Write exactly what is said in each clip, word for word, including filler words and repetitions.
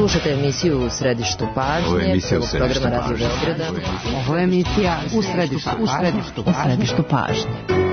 Slušajte emisiju U središtu pažnje, prvog programa Radio Beograda. Ovo je emisija U središtu, u središtu, u središtu pažnje.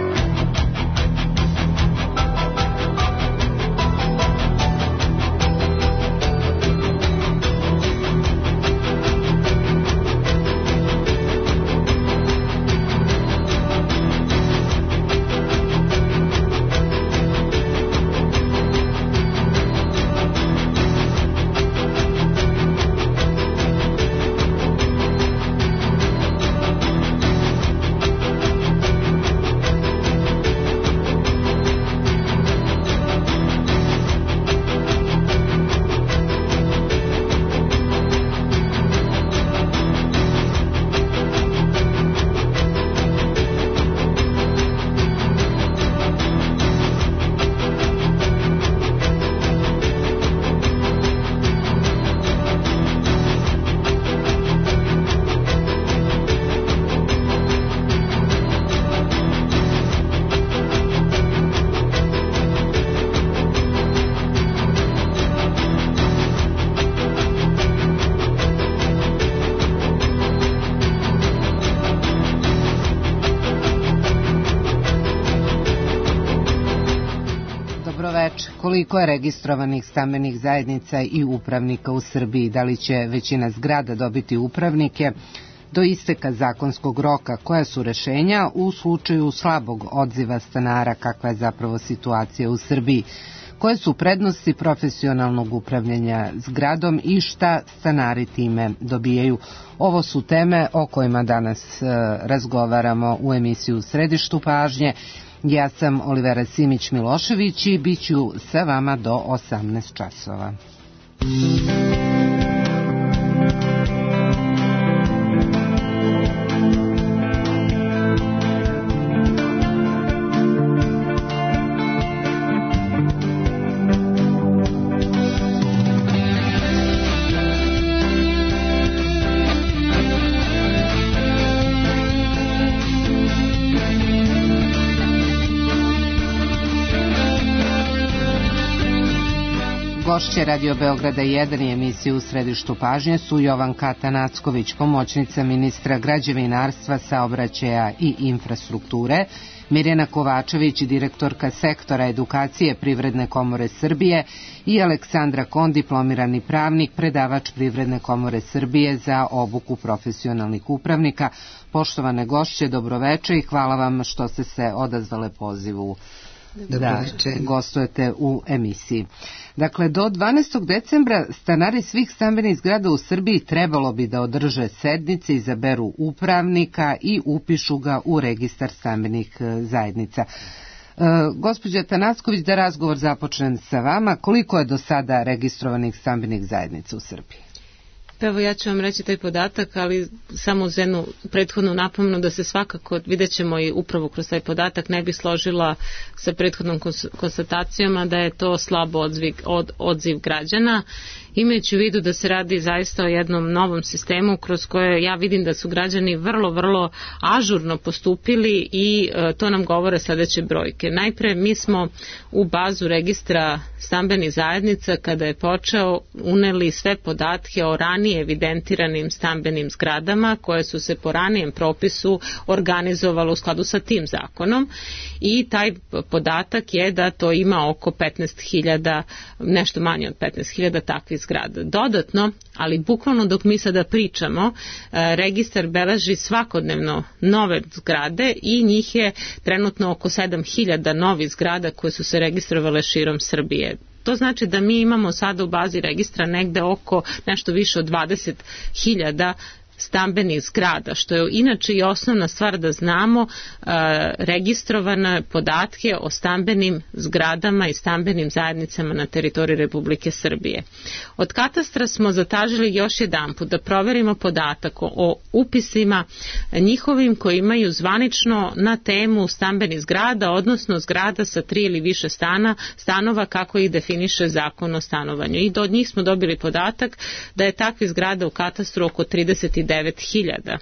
Koliko je registrovanih stambenih zajednica i upravnika u Srbiji? Da li će većina zgrada dobiti upravnike do isteka zakonskog roka? Koja su rešenja u slučaju slabog odziva stanara? Kakva je zapravo situacija u Srbiji? Koje su prednosti profesionalnog upravljanja zgradom i šta stanari time dobijaju? Ovo su teme o kojima danas e, razgovaramo u emisiju U središtu pažnje. Ja sam Olivera Simić-Milošević i bit ću sa vama do osamnaest časova. Gošće Radio Beograda jedan i emisiju U središtu pažnje su Jovanka Tanacković, pomoćnica ministra građevinarstva, saobraćaja i infrastrukture, Mirjana Kovačević, direktorka sektora edukacije Privredne komore Srbije i Aleksandra Kon, diplomirani pravnik, predavač Privredne komore Srbije za obuku profesionalnih upravnika. Poštovane gošće, dobroveče i hvala vam što ste se odazvale pozivu da gostujete u emisiji. Dakle, do dvanaestog decembra stanari svih stambenih zgrada u Srbiji trebalo bi da održe sednice, izaberu upravnika i upišu ga u registar stambenih zajednica. E, gospođa Tanacković, da razgovor započnem sa vama. Koliko je do sada registrovanih stambenih zajednica u Srbiji? Evo, ja ću vam reći taj podatak, ali samo uz jednu prethodnu napomenu da se svakako, vidjet ćemo i upravo kroz taj podatak, ne bi složila sa prethodnom konstatacijama da je to slabo odziv, od, odziv građana, imajući u vidu da se radi zaista o jednom novom sistemu kroz koje ja vidim da su građani vrlo, vrlo ažurno postupili i e, to nam govore sledeće brojke. Najpre, mi smo u bazu registra stambenih zajednica, kada je počeo, uneli sve podatke o ranije evidentiranim stambenim zgradama koje su se po ranijem propisu organizovalo u skladu sa tim zakonom i taj podatak je da to ima oko petnaest hiljada, nešto manje od petnaest hiljada takvih zgrada. Dodatno, ali bukvalno dok mi sada pričamo, registar beleži svakodnevno nove zgrade i njih je trenutno oko sedam hiljada novih zgrada koje su se registrovale širom Srbije. To znači da mi imamo sada u bazi registra negde oko nešto više od dvadeset hiljada stambenih zgrada, što je inače i osnovna stvar da znamo e, registrovane podatke o stambenim zgradama i stambenim zajednicama na teritoriji Republike Srbije. Od katastra smo zatražili još jedanput da proverimo podatak o upisima njihovim koji imaju zvanično na temu stambenih zgrada, odnosno zgrada sa tri ili više stana, stanova kako ih definiše Zakon o stanovanju. I od njih smo dobili podatak da je takvih zgrada u katastru oko trideset devet hiljada.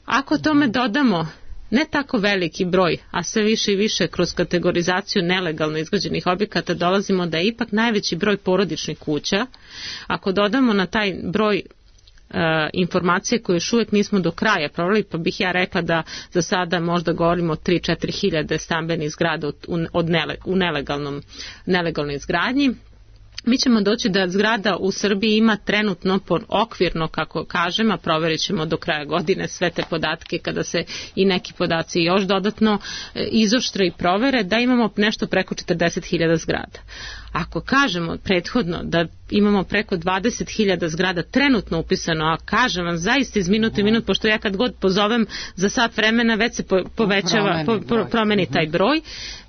Ako tome dodamo ne tako veliki broj, a sve više i više kroz kategorizaciju nelegalno izgrađenih objekata dolazimo da je ipak najveći broj porodičnih kuća. Ako dodamo na taj broj Uh, informacije koje još uvijek nismo do kraja proveli, pa bih ja rekla da za sada možda govorimo o tri do četiri hiljade stambenih zgrada od, od nele, u nelegalnom, nelegalnoj izgradnji. Mi ćemo doći da zgrada u Srbiji ima trenutno okvirno, kako kažem, a provjerit ćemo do kraja godine sve te podatke kada se i neki podaci još dodatno izoštre i provere, da imamo nešto preko četrdeset hiljada zgrada. Ako kažemo prethodno da imamo preko dvadeset hiljada zgrada trenutno upisano, a kažem vam zaista iz minuta i minut, pošto ja kad god pozovem za sat vremena već se po, povećava, po, po, promeni taj broj,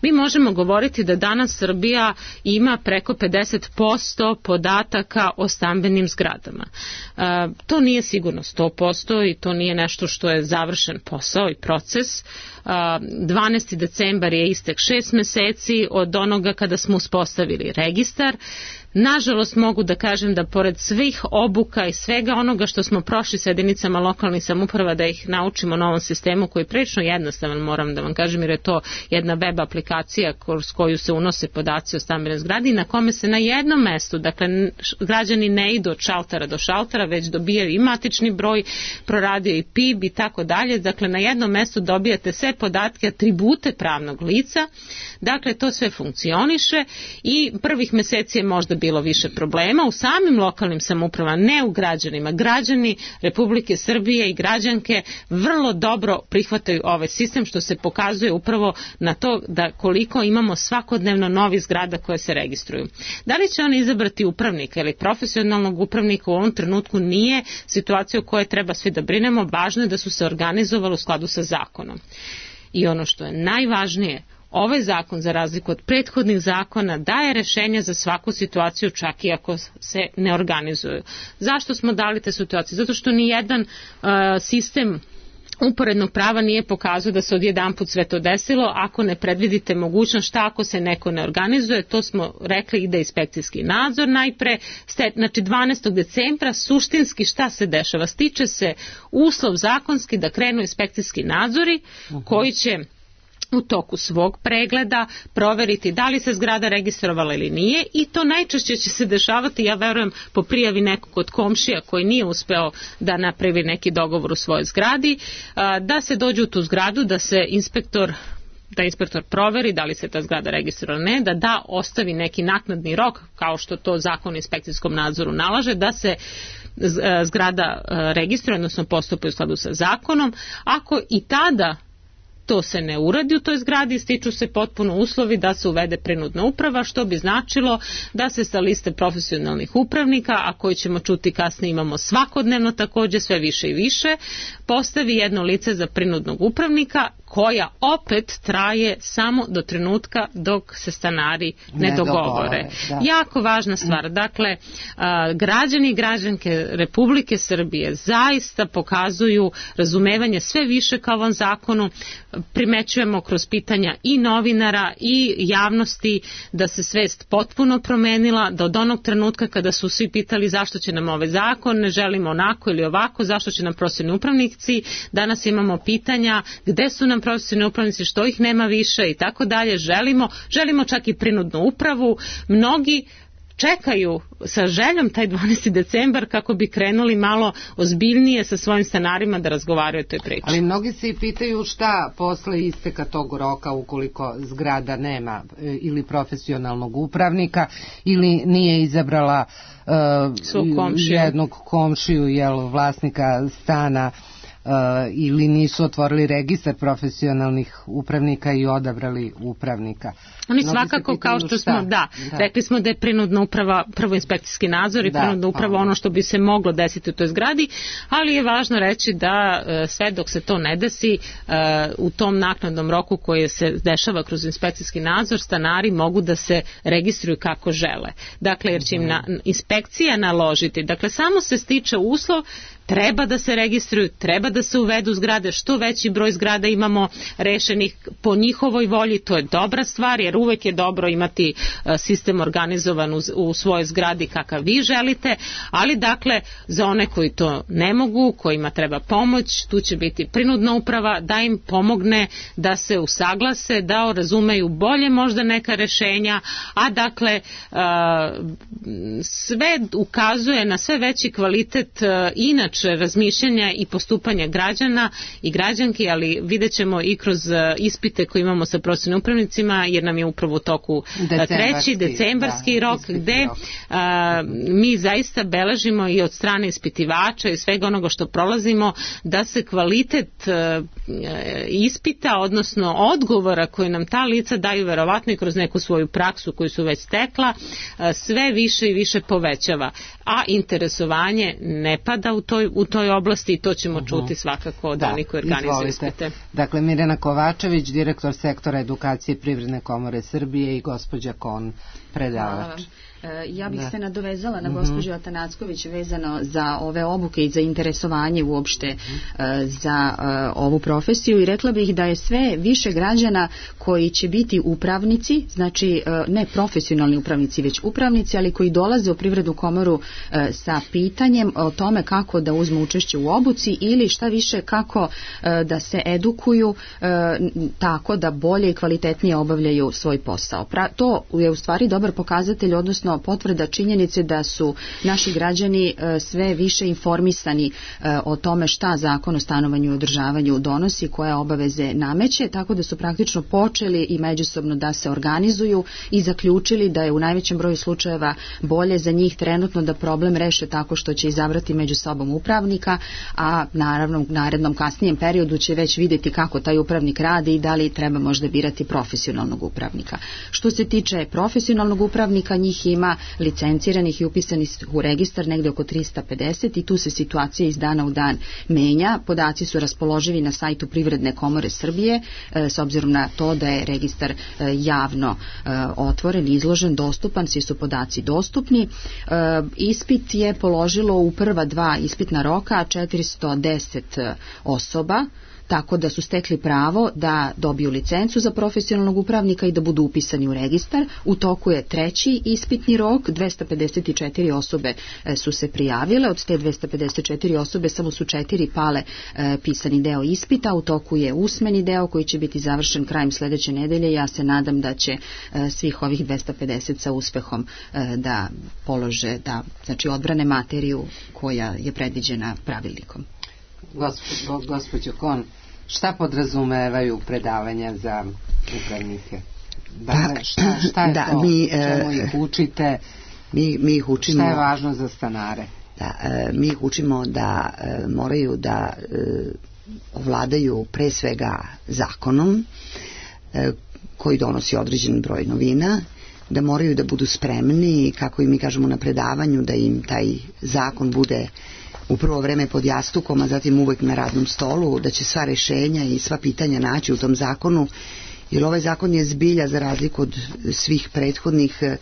mi možemo govoriti da danas Srbija ima preko pedeset posto podataka o stambenim zgradama. E, to nije sigurno sto posto i to nije nešto što je završen posao i proces. dvanaesti decembar je istek šest meseci od onoga kada smo uspostavili registar. Nažalost mogu da kažem da pored svih obuka i svega onoga što smo prošli sa jedinicama lokalnih samouprava da ih naučimo novom sistemu koji je prilično jednostavan, moram da vam kažem, jer je to jedna web aplikacija kroz koju se unose podaci o stambenoj zgradi na kome se na jednom mestu, dakle građani ne idu od šaltera do šaltera, već dobijaju i matični broj, proradio i P I B i tako dalje, dakle na jednom mestu dobijate sve podatke, atribute pravnog lica, dakle to sve funkcioniše i prvih meseci je možda bilo više problema u samim lokalnim samoupravama, ne u građanima. Građani Republike Srbije i građanke vrlo dobro prihvataju ovaj sistem, što se pokazuje upravo na to da koliko imamo svakodnevno novih zgrada koje se registruju. Da li će oni izabrati upravnika ili profesionalnog upravnika u ovom trenutku nije situacija u kojoj treba svi da brinemo, važno je da su se organizovali u skladu sa zakonom. I ono što je najvažnije, ovaj zakon, za razliku od prethodnih zakona, daje rešenja za svaku situaciju, čak i ako se ne organizuju. Zašto smo dali te situacije? Zato što ni jedan uh, sistem uporednog prava nije pokazao da se odjedanput sve to desilo. Ako ne predvidite mogućnost šta ako se neko ne organizuje, to smo rekli, ide inspekcijski nadzor najpre. Znači dvanaestog decembra suštinski šta se dešava? Stiče se uslov zakonski da krenu inspekcijski nadzori koji će u toku svog pregleda proveriti da li se zgrada registrovala ili nije i to najčešće će se dešavati, ja verujem, po prijavi nekog od komšija koji nije uspeo da napravi neki dogovor u svojoj zgradi, da se dođe u tu zgradu, da se inspektor da inspektor proveri da li se ta zgrada registrovala ili ne, da da ostavi neki naknadni rok, kao što to zakon o inspekcijskom nadzoru nalaže, da se zgrada registruje, odnosno postupi u skladu sa zakonom. Ako i tada to se ne uradi u toj zgradi, stiču se potpuno uslovi da se uvede prinudna uprava, što bi značilo da se sa liste profesionalnih upravnika, a koji ćemo čuti kasnije imamo svakodnevno također sve više i više, postavi jedno lice za prinudnog upravnika koja opet traje samo do trenutka dok se stanari ne, ne dogovore. Da. Jako važna stvar. Dakle, a, građani i građanke Republike Srbije zaista pokazuju razumevanje sve više kao ovom zakonu. Primećujemo kroz pitanja i novinara i javnosti da se svest potpuno promenila, da od onog trenutka kada su svi pitali zašto će nam ovaj zakon, ne želimo onako ili ovako, zašto će nam profesionalni upravnici, danas imamo pitanja gde su nam profesionalni upravnici, što ih nema više i tako dalje. Želimo, želimo čak i prinudnu upravu. Mnogi čekaju sa željom taj dvanaesti decembar kako bi krenuli malo ozbiljnije sa svojim stanarima da razgovaraju o toj priči. Ali mnogi se i pitaju šta posle isteka tog roka ukoliko zgrada nema ili profesionalnog upravnika ili nije izabrala uh, jednog komšiju, jel, vlasnika stana, Uh, ili nisu otvorili registar profesionalnih upravnika i odabrali upravnika. Oni mnogi svakako kao što šta? smo, da, da, rekli smo da je prinudna uprava prvo inspekcijski nadzor i da, prinudna uprava pa, ono što bi se moglo desiti u toj zgradi, ali je važno reći da uh, sve dok se to ne desi uh, u tom naknadnom roku koji se dešava kroz inspekcijski nadzor, stanari mogu da se registruju kako žele. Dakle, jer će im na, inspekcija naložiti, dakle samo se stiče uslov treba da se registruju, treba da se uvedu zgrade, što veći broj zgrada imamo rešenih po njihovoj volji, to je dobra stvar, jer uvek je dobro imati sistem organizovan u, u svojoj zgradi kakav vi želite, ali dakle za one koji to ne mogu, kojima treba pomoć, tu će biti prinudna uprava da im pomogne da se usaglase, da razumeju bolje možda neka rešenja, a dakle sve ukazuje na sve veći kvalitet inače razmišljanja i postupanja građana i građanki, ali vidjet ćemo i kroz ispite koje imamo sa profesionalnim upravnicima, jer nam je upravo u toku treći decembarski da, rok gde rok. A, mi zaista beležimo i od strane ispitivača i svega onoga što prolazimo da se kvalitet a, ispita, odnosno odgovora koje nam ta lica daju verovatno i kroz neku svoju praksu koju su već stekla, a, sve više i više povećava, a interesovanje ne pada u toj, u toj oblasti i to ćemo uh-huh. čuti svakako od da, onih koji organizuju ispite. Dakle, Mirjana Kovačević, direktor sektora edukacije Privredne komore Srbije i gospođa Kon, predavač. Ja bih da. se nadovezala na gospođu Atanacković vezano za ove obuke i za interesovanje uopšte uh, za uh, ovu profesiju i rekla bih da je sve više građana koji će biti upravnici, znači uh, ne profesionalni upravnici, već upravnici, ali koji dolaze u Privrednu komoru uh, sa pitanjem o tome kako da uzmu učešće u obuci ili šta više kako uh, da se edukuju uh, tako da bolje i kvalitetnije obavljaju svoj posao. Pra, to je u stvari dobar pokazatelj, odnosno potvrda činjenice da su naši građani sve više informisani o tome šta Zakon o stanovanju i održavanju donosi, koje obaveze nameće, tako da su praktično počeli i međusobno da se organizuju i zaključili da je u najvećem broju slučajeva bolje za njih trenutno da problem reše tako što će izabrati među sobom upravnika, a naravno u narednom kasnijem periodu će već vidjeti kako taj upravnik radi i da li treba možda birati profesionalnog upravnika. Što se tiče profesionalnog upravnika, njih ima licenciranih i upisanih u registar negde oko trista pedeset i tu se situacija iz dana u dan menja. Podaci su raspoloživi na sajtu Privredne komore Srbije, s obzirom na to da je registar javno otvoren, izložen, dostupan, svi su podaci dostupni. Ispit je položilo u prva dva ispitna roka četiristo deset osoba, tako da su stekli pravo da dobiju licencu za profesionalnog upravnika i da budu upisani u registar. U toku je treći ispitni rok, dvesta pedeset četiri osobe su se prijavile, od te dvesta pedeset četiri osobe samo su četiri pale e, pisani deo ispita, u toku je usmeni deo koji će biti završen krajem sledeće nedelje. Ja se nadam da će e, svih ovih dvesta pedeset sa uspehom e, da polože, da znači odbrane materiju koja je predviđena pravilnikom. Gospo, gospođo Kon, šta podrazumevaju predavanja za upravnike? Da, šta, šta je da, to? Mi, čemu ih učite? Mi, mi ih učimo, šta je važno za stanare? Da, mi ih učimo da moraju da ovladaju pre svega zakonom koji donosi određen broj novina, da moraju da budu spremni, kako i mi kažemo na predavanju, da im taj zakon bude u prvo vreme pod jastukom, a zatim uvek na radnom stolu, da će sva rešenja i sva pitanja naći u tom zakonu, jer ovaj zakon je zbilja, za razliku od svih prethodnih, e,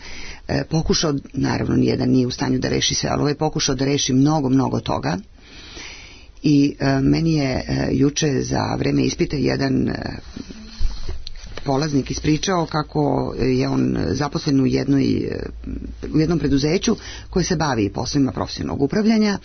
pokušao, naravno nijedan nije u stanju da reši sve, ali ovaj je pokušao da reši mnogo, mnogo toga. I e, meni je e, juče za vreme ispita jedan e, polaznik ispričao kako je on zaposlen u, jednoj, u jednom preduzeću koje se bavi poslovima profesionalnog upravljanja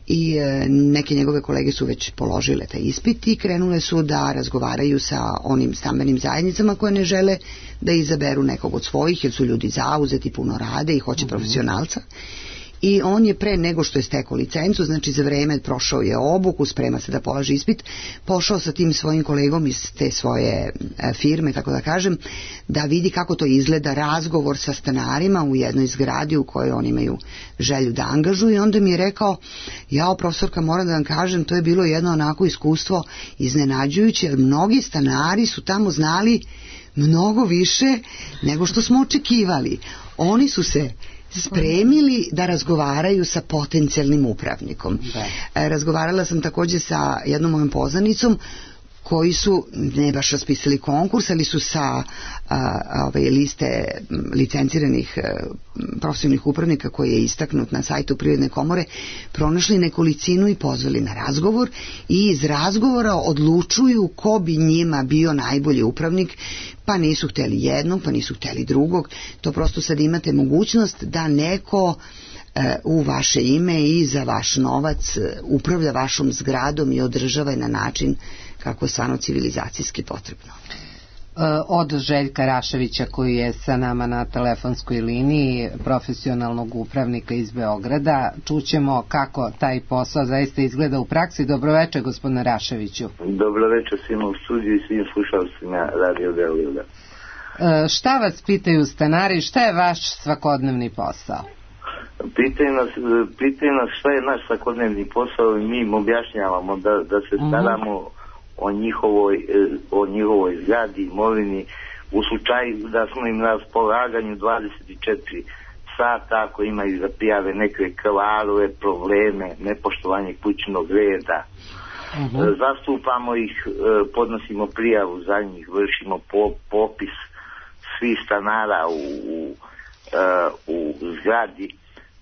i neke njegove kolege su već položile taj ispit i krenule su da razgovaraju sa onim stambenim zajednicama koje ne žele da izaberu nekog od svojih, jer su ljudi zauzeti, puno rade i hoće profesionalca. I on je pre nego što je stekao licencu, znači za vreme prošao je obuku, sprema se da polaže ispit, pošao sa tim svojim kolegom iz te svoje firme, tako da kažem, da vidi kako to izgleda razgovor sa stanarima u jednoj zgradi u kojoj oni imaju želju da angažuju. I onda mi je rekao, jao profesorka, moram da vam kažem, to je bilo jedno onako iskustvo iznenađujuće, jer mnogi stanari su tamo znali mnogo više nego što smo očekivali. Oni su se spremili da razgovaraju sa potencijalnim upravnikom. Da. Razgovarala sam takođe sa jednom mojom poznanicom koji su ne baš raspisali konkurs, ali su sa a, ove liste licenciranih a, profesionalnih upravnika koji je istaknut na sajtu Privredne komore pronašli nekolicinu i pozvali na razgovor i iz razgovora odlučuju ko bi njima bio najbolji upravnik, pa nisu hteli jednog, pa nisu hteli drugog. To prosto sad imate mogućnost da neko u vaše ime i za vaš novac upravlja vašom zgradom i održava je na način kako je stvarno civilizacijski potrebno. Od Željka Raševića, koji je sa nama na telefonskoj liniji, profesionalnog upravnika iz Beograda, čućemo kako taj posao zaista izgleda u praksi. Dobroveče, gospodine Raševiću. Dobroveče svima u studiju i svim slušalcima Radio Beograda. Šta vas pitaju stanari, šta je vaš svakodnevni posao? Pitaju nas, pitaju nas šta je naš svakodnevni posao i mi im objašnjavamo da, da se staramo uh-huh. o njihovoj, o njihovoj zgradi, imovini, u slučaju da smo im na raspolaganju dvadeset četiri sata ako imaju da prijave neke kvarove, probleme, nepoštovanje kućnog reda. Uh-huh. Zastupamo ih, podnosimo prijavu za njih, vršimo popis svih stanara u, u, u zgradi,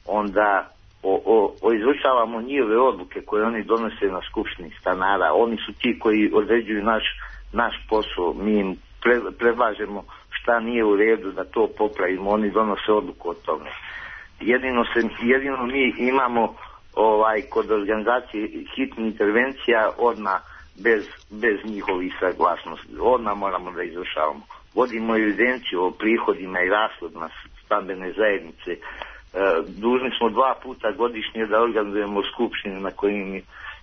onda o, o, o izvršavamo njihove odluke koje oni donose na skupštini stanara. Oni su ti koji određuju naš, naš posao, mi im pre, predlažemo šta nije u redu da to popravimo, oni donose odluku o tome. Jedino, se, jedino mi imamo ovaj, kod organizacije hitnih intervencija odmah bez, bez njihovih saglasnosti, odmah moramo da izvršavamo. Vodimo evidenciju o prihodima i rashodima stambene zajednice. Dužni smo dva puta godišnje da organizujemo skupštine na kojim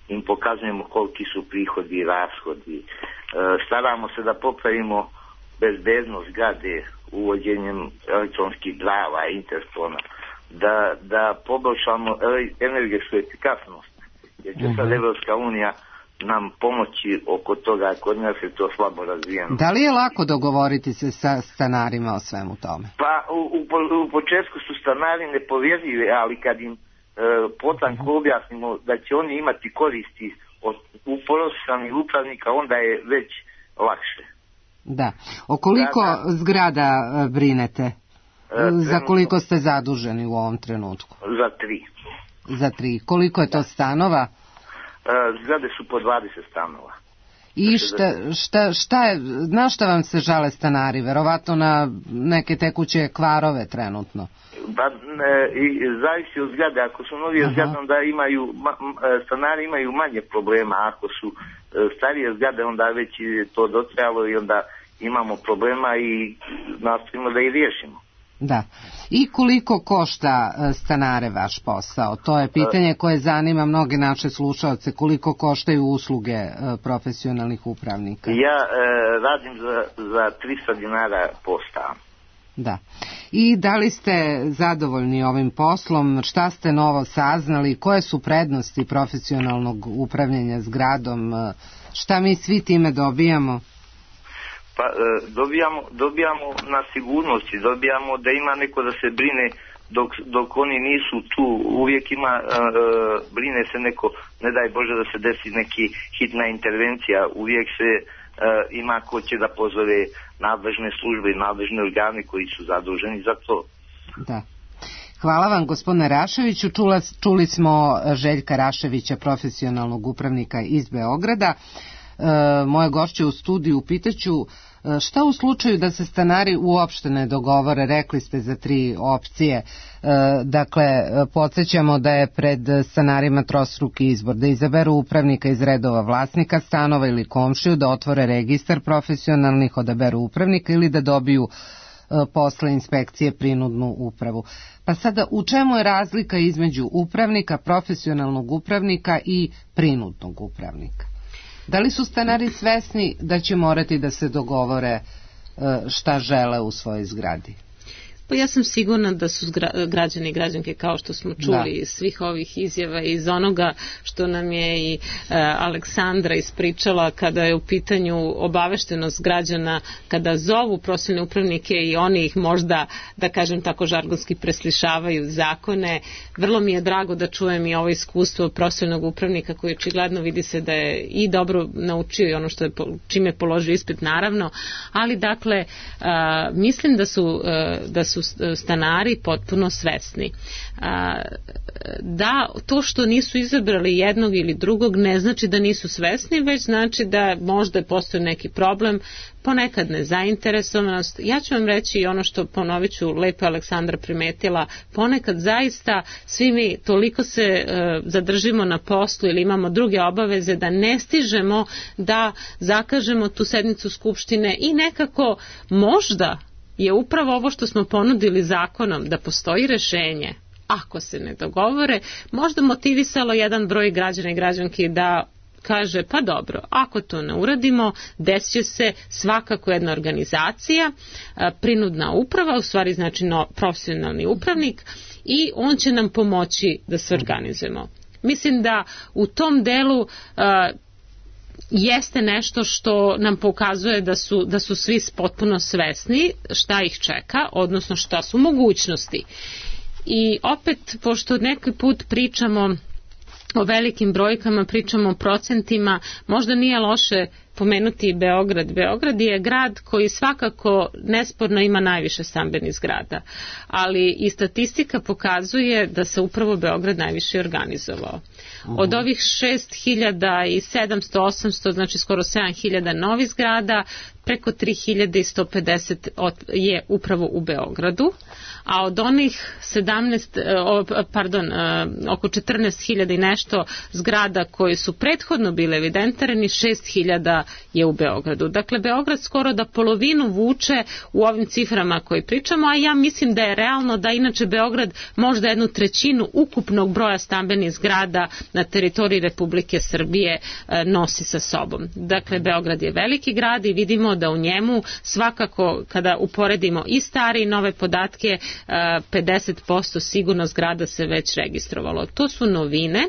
im pokazujemo koliki su prihodi i rashodi. Staramo se da popravimo bezbednost zgrade uvođenjem elektronskih brava i interfona, da, da poboljšamo energetsku efikasnost, jer će sad Evropska unija nam pomoći oko toga, kod nas je to slabo razvijeno. Da li je lako dogovoriti se sa stanarima o svemu tome? Pa u, u, u početku su stanari nepovjerljivi, ali kad im e, potanko objasnimo da će oni imati koristi od profesionalnih upravnika, onda je već lakše. Da. O koliko da, da. zgrada brinete? E, za koliko ste zaduženi u ovom trenutku? Za tri. Za tri. Koliko je to stanova? Zgrade su po dvadeset stanova. I šta, šta, šta je, na šta vam se žale stanari? Verovatno na neke tekuće kvarove trenutno. Pa ne, i zavisi od zgrade. Ako su novije zgrade, onda imaju, stanari imaju manje problema. Ako su starije zgrade, onda već je to dotrajalo i onda imamo problema i nastojimo da ih riješimo. Da. I koliko košta stanare vaš posao? To je pitanje koje zanima mnoge naše slušalce. Koliko koštaju usluge profesionalnih upravnika? Ja e, radim za, za tristo dinara po stan. Da. I da li ste zadovoljni ovim poslom? Šta ste novo saznali? Koje su prednosti profesionalnog upravljanja zgradom? Šta mi svi time dobijamo? Pa e, dobijamo, dobijamo na sigurnosti, dobijamo da ima neko da se brine dok, dok oni nisu tu, uvijek ima, e, brine se neko, ne daj Bože da se desi neki hitna intervencija, uvijek se e, ima ko će da pozove nadležne službe i nadležne organe koji su zaduženi za to. Da. Hvala vam, gospodine Raševiću. Čula, čuli smo Željka Raševića, profesionalnog upravnika iz Beograda. E, moje gošće u studiju pitaću šta u slučaju da se stanari uopšte ne dogovore? Rekli ste za tri opcije. E, dakle, podsjećamo da je pred stanarima trostruki izbor, da izaberu upravnika iz redova vlasnika stanova ili komšiju, da otvore registar profesionalnih, odaberu upravnika ili da dobiju e, posle inspekcije prinudnu upravu. Pa sada, u čemu je razlika između upravnika, profesionalnog upravnika i prinudnog upravnika? Da li su stanari svesni da će morati da se dogovore šta žele u svojoj zgradi? Pa ja sam sigurna da su građani i građanke, kao što smo čuli iz svih ovih izjava, iz onoga što nam je i e, Aleksandra ispričala kada je u pitanju obaveštenost građana, kada zovu profesionalne upravnike i oni ih možda, da kažem tako žargonski, preslišavaju zakone. Vrlo mi je drago da čujem i ovo iskustvo profesionalnog upravnika koji očigledno vidi se da je i dobro naučio i ono što je, čime je položio ispit, naravno, ali dakle a, mislim da su, a, da su stanari potpuno svesni. A, da to što nisu izabrali jednog ili drugog ne znači da nisu svesni, već znači da možda postoji neki problem, ponekad nezainteresovanost. Ja ću vam reći i ono što, ponovit ću, lepo Aleksandra primetila, ponekad zaista svi mi toliko se e, zadržimo na poslu ili imamo druge obaveze da ne stižemo da zakažemo tu sednicu Skupštine i nekako možda je upravo ovo što smo ponudili zakonom, da postoji rešenje, ako se ne dogovore, možda motivisalo jedan broj građana i građanki da kaže, pa dobro, ako to ne uradimo, desit će se svakako jedna organizacija, prinudna uprava, u stvari znači no, profesionalni upravnik, i on će nam pomoći da se organizujemo. Mislim da u tom delu uh, jeste nešto što nam pokazuje da su, da su svi potpuno svesni šta ih čeka, odnosno šta su mogućnosti. I opet, pošto neki put pričamo o velikim brojkama, pričamo o procentima, možda nije loše pomenuti i Beograd. Beograd je grad koji svakako nesporno ima najviše stambenih zgrada, ali i statistika pokazuje da se upravo Beograd najviše organizovao. Od ovih šest hiljada sedamsto osamsto, znači skoro sedam hiljada novih zgrada, preko tri hiljade sto pedeset je upravo u Beogradu, a od onih sedamnaest, pardon, oko četrnaest hiljada i nešto zgrada koji su prethodno bile evidentirani, šest hiljada je u Beogradu. Dakle, Beograd skoro da polovinu vuče u ovim ciframa koje pričamo, a ja mislim da je realno da inače Beograd možda jednu trećinu ukupnog broja stambenih zgrada na teritoriji Republike Srbije nosi sa sobom. Dakle, Beograd je veliki grad i vidimo da u njemu svakako, kada uporedimo i stare i nove podatke, pedeset posto sigurno zgrada se već registrovalo. To su novine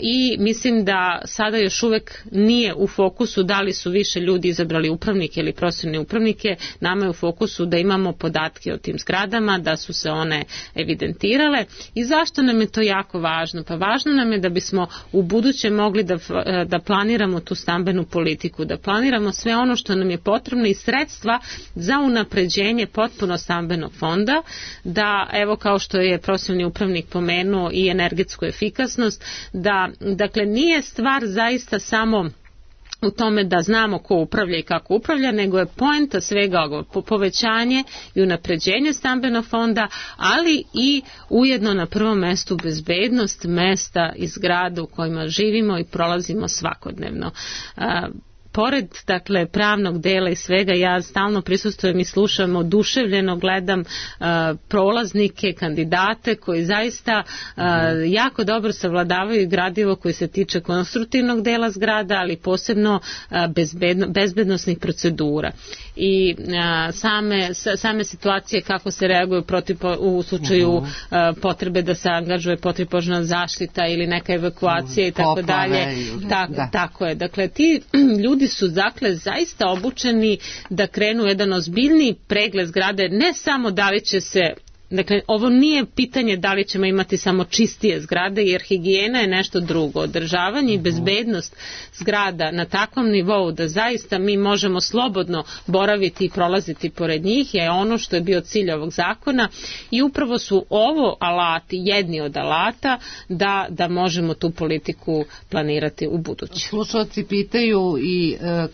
i mislim da sada još uvek nije u fokusu da li su više ljudi izabrali upravnike ili profesionalne upravnike. Nama je u fokusu da imamo podatke o tim zgradama, da su se one evidentirale. I zašto nam je to jako važno? Pa važno nam je da bismo u buduće mogli da, da planiramo tu stambenu politiku, da planiramo sve ono što nam je potrebno i sredstva za unapređenje potpuno stambenog fonda, da, evo, kao što je profesionalni upravnik pomenuo, i energetsku efikasnost, da, dakle, nije stvar zaista samo u tome da znamo ko upravlja i kako upravlja, nego je poenta svega ovoga povećanje i unapređenje stambenog fonda, ali i ujedno na prvom mestu bezbednost mesta i zgrada u kojima živimo i prolazimo svakodnevno. Pored, dakle, pravnog dela i svega, ja stalno prisustvujem i slušam, oduševljeno gledam uh, prolaznike, kandidate koji zaista uh, jako dobro savladavaju gradivo koji se tiče konstruktivnog dela zgrada, ali posebno uh, bezbedno, bezbednosnih procedura. I uh, same, same situacije kako se reaguju protiv, u slučaju uh, potrebe da se angažuje protivpožarna zaštita ili neka evakuacija i tako dalje. Ta, tako je. Dakle, ti ljudi su dakle zaista obučeni da krenu jedan ozbiljniji pregled zgrade, ne samo da li će se, dakle, ovo nije pitanje da li ćemo imati samo čistije zgrade, jer higijena je nešto drugo. Održavanje i bezbednost zgrada na takvom nivou da zaista mi možemo slobodno boraviti i prolaziti pored njih je ono što je bio cilj ovog zakona i upravo su ovo alati, jedni od alata da, da možemo tu politiku planirati u buduće. Slušalci pitaju i e,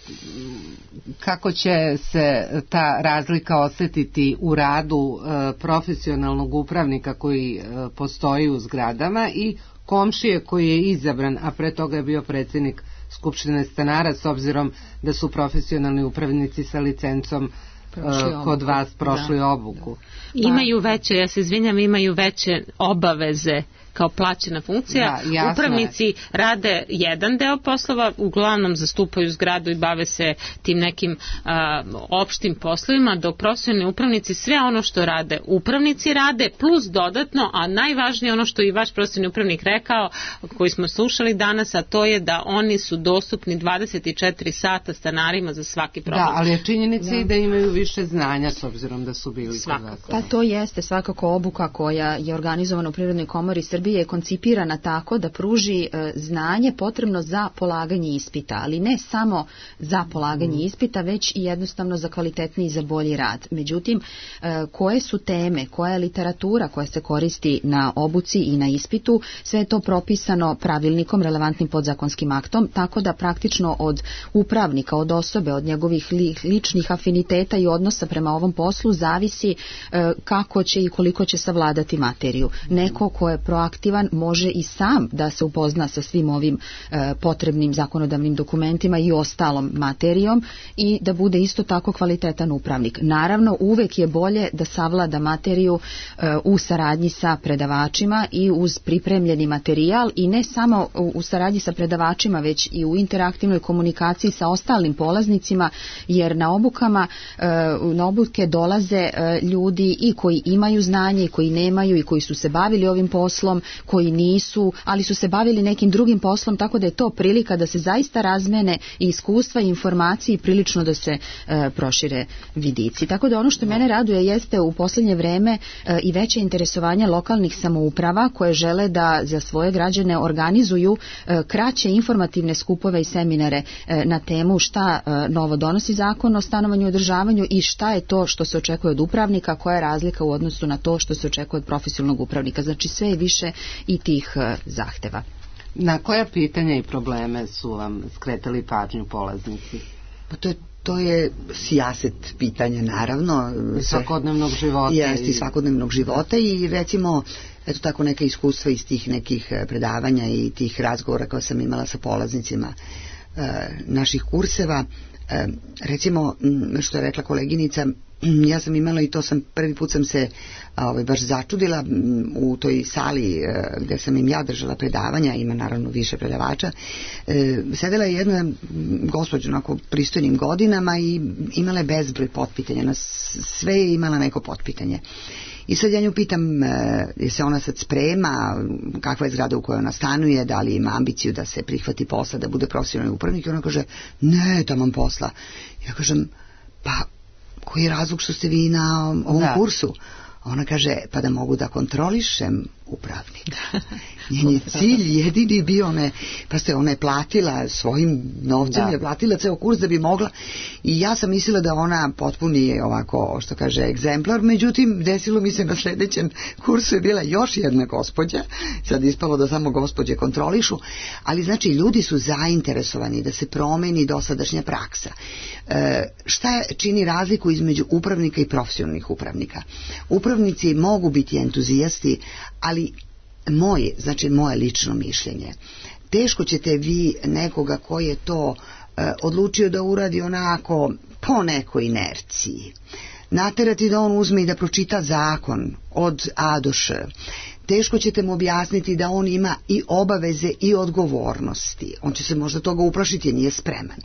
kako će se ta razlika osetiti u radu e, profesionalnog upravnika koji e, postoji u zgradama i komšije koji je izabran, a pre toga je bio predsjednik Skupštine stanara, s obzirom da su profesionalni upravnici sa licencom e, kod vas prošli da, obuku. Da. Imaju veće, ja se izvinjam, imaju veće obaveze kao plaćena funkcija. Da, upravnici je. Rade jedan deo poslova, uglavnom zastupaju zgradu i bave se tim nekim a, opštim poslovima, dok profesionalni upravnici sve ono što rade upravnici rade, plus dodatno, a najvažnije ono što i vaš profesionalni upravnik rekao, koji smo slušali danas, a to je da oni su dostupni dvadeset četiri sata stanarima za svaki problem. Da, ali je činjenica i da imaju više znanja s obzirom da su bili svakako. Pa to jeste svakako obuka koja je organizovana u Privrednoj komori Srbije je koncipirana tako da pruži e, znanje potrebno za polaganje ispita, ali ne samo za polaganje mm. ispita, već i jednostavno za kvalitetniji i za bolji rad. Međutim, e, koje su teme, koja je literatura koja se koristi na obuci i na ispitu, sve je to propisano pravilnikom, relevantnim podzakonskim aktom, tako da praktično od upravnika, od osobe, od njegovih li, ličnih afiniteta i odnosa prema ovom poslu zavisi e, kako će i koliko će savladati materiju. Neko ko je proaktivan može i sam da se upozna sa svim ovim e, potrebnim zakonodavnim dokumentima i ostalom materijom i da bude isto tako kvalitetan upravnik. Naravno, uvek je bolje da savlada materiju e, u saradnji sa predavačima i uz pripremljeni materijal i ne samo u, u saradnji sa predavačima, već i u interaktivnoj komunikaciji sa ostalim polaznicima, jer na obukama, e, na obuke dolaze e, ljudi i koji imaju znanje i koji nemaju i koji su se bavili ovim poslom, koji nisu, ali su se bavili nekim drugim poslom, tako da je to prilika da se zaista razmene i iskustva i informacije i prilično da se e, prošire vidici. Tako da ono što mene raduje jeste u posljednje vreme e, i veće interesovanje lokalnih samouprava koje žele da za svoje građane organizuju e, kraće informativne skupove i seminare e, na temu šta e, novo donosi zakon o stanovanju i održavanju i šta je to što se očekuje od upravnika, koja je razlika u odnosu na to što se očekuje od profesionalnog upravnika. Znači sve je više i tih e, zahteva. Na koja pitanja i probleme su vam skretali pažnju polaznici? Pa to je To je sijaset pitanja, naravno. Svakodnevnog života. Jeste, i svakodnevnog života i recimo, eto tako neka iskustva iz tih nekih predavanja i tih razgovora koje sam imala sa polaznicima e, naših kurseva. E, recimo, što je rekla koleginica, ja sam imala i to sam, prvi put sam se ovaj, baš začudila u toj sali gdje sam im ja držala predavanja, ima naravno više predavača, e, sedela je jedna gospođa onako pristojnim godinama i imala je bezbroj potpitanja, na sve je imala neko potpitanje. I sad ja nju pitam, je se ona sad sprema, kakva je zgrada u kojoj ona stanuje, da li ima ambiciju da se prihvati posla, da bude profesionalni upravnik, i ona kaže, ne, taman posla. Ja kažem, pa koji je razlog što ste vi na ovom da. kursu? Ona kaže, pa da mogu da kontrolišem upravnika. Njen je cilj jedini bio, one, pa ste ona je platila svojim novcem, je platila ceo kurs da bi mogla, i ja sam mislila da ona potpuni ovako, što kaže, egzemplar, međutim desilo mi se na sljedećem kursu je bila još jedna gospođa, sad ispalo da samo gospođe kontrolišu, ali znači ljudi su zainteresovani da se promeni dosadašnja praksa. E, šta čini razliku između upravnika i profesionalnih upravnika? Upravnici mogu biti entuzijasti, ali moje, znači moje lično mišljenje, teško ćete vi nekoga koji je to e, odlučio da uradi onako po nekoj inerciji, naterati da on uzme i da pročita zakon od A do Š. Teško ćete mu objasniti da on ima i obaveze i odgovornosti. On će se možda toga uplašiti jer nije spreman.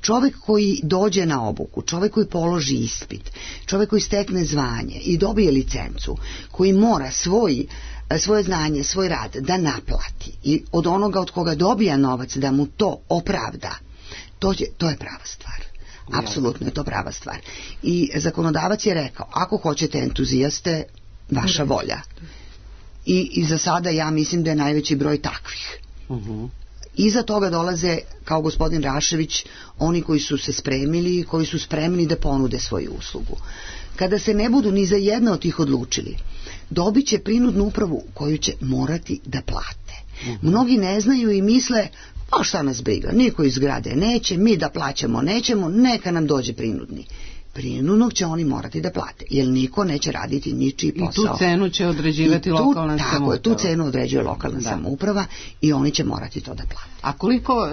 Čovjek koji dođe na obuku, čovjek koji položi ispit, čovjek koji stekne zvanje i dobije licencu, koji mora svoj, svoje znanje, svoj rad da naplati i od onoga od koga dobija novac da mu to opravda, to je, to je prava stvar. Apsolutno je to prava stvar. I zakonodavac je rekao, ako hoćete entuzijaste, vaša volja. I, i za sada ja mislim da je najveći broj takvih. Uh-huh. Iza toga dolaze, kao gospodin Rašević, oni koji su se spremili, koji su spremni da ponude svoju uslugu. Kada se ne budu ni za jedno od tih odlučili, dobit će prinudnu upravu koju će morati da plate. Uh-huh. Mnogi ne znaju i misle, pa šta nas briga, niko iz zgrade neće, mi da plaćamo nećemo, neka nam dođe prinudni. Prinudnog će oni morati da plate, jer niko neće raditi ničiji posao. I tu cenu će određivati tu, lokalna tako samouprava. Tako je, tu cenu određuje lokalna da. samouprava i oni će morati to da plate. A koliko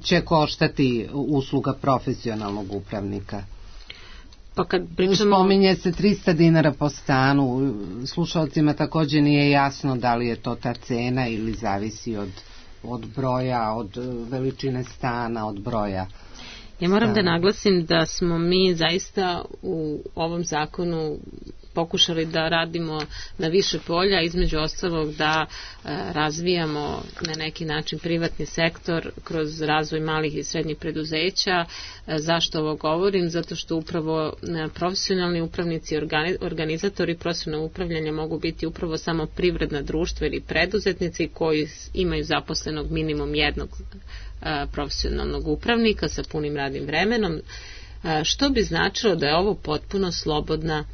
će koštati usluga profesionalnog upravnika? Pa kad pričamo... Spominje se trista dinara po stanu, slušalcima također nije jasno da li je to ta cena ili zavisi od, od broja, od veličine stana, od broja. Ja moram da naglasim da smo mi zaista u ovom zakonu pokušali da radimo na više polja, između ostalog da e, razvijamo na neki način privatni sektor kroz razvoj malih i srednjih preduzeća. E, zašto ovo govorim? Zato što upravo e, profesionalni upravnici, organi, organizatori profesionalnog upravljanja mogu biti upravo samo privredna društva ili preduzetnici koji imaju zaposlenog minimum jednog e, profesionalnog upravnika sa punim radnim vremenom, e, što bi značilo da je ovo potpuno slobodna